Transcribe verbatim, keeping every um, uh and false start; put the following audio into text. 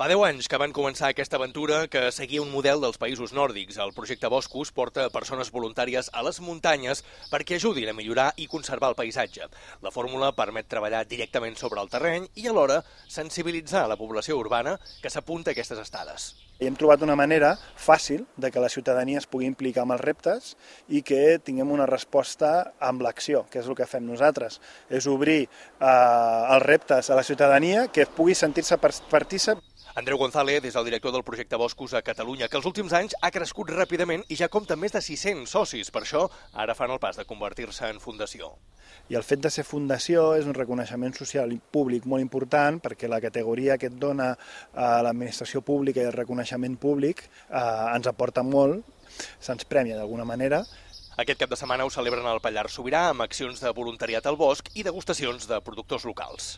Fa deu anys que van començar aquesta aventura que seguia un model dels països nòrdics. El projecte Boscos porta persones voluntàries a les muntanyes perquè ajudin a millorar i conservar el paisatge. La fórmula permet treballar directament sobre el terreny i alhora sensibilitzar la població urbana que s'apunta a aquestes estades. I hem trobat una manera fàcil de que la ciutadania es pugui implicar amb els reptes i que tinguem una resposta amb l'acció, que és el que fem nosaltres. És obrir eh, els reptes a la ciutadania que pugui sentir-se partícip. Andreu González és el director del projecte Boscos a Catalunya, que els últims anys ha crescut ràpidament i ja compta amb més de sis-cents socis. Per això, ara fan el pas de convertir-se en fundació. I el fet de ser fundació és un reconeixement social i públic molt important perquè la categoria que et dona a l'administració pública i el reconeixement públic eh, ens aporta molt, se'ns premia d'alguna manera. Aquest cap de setmana ho celebren al Pallars Sobirà amb accions de voluntariat al bosc i degustacions de productors locals.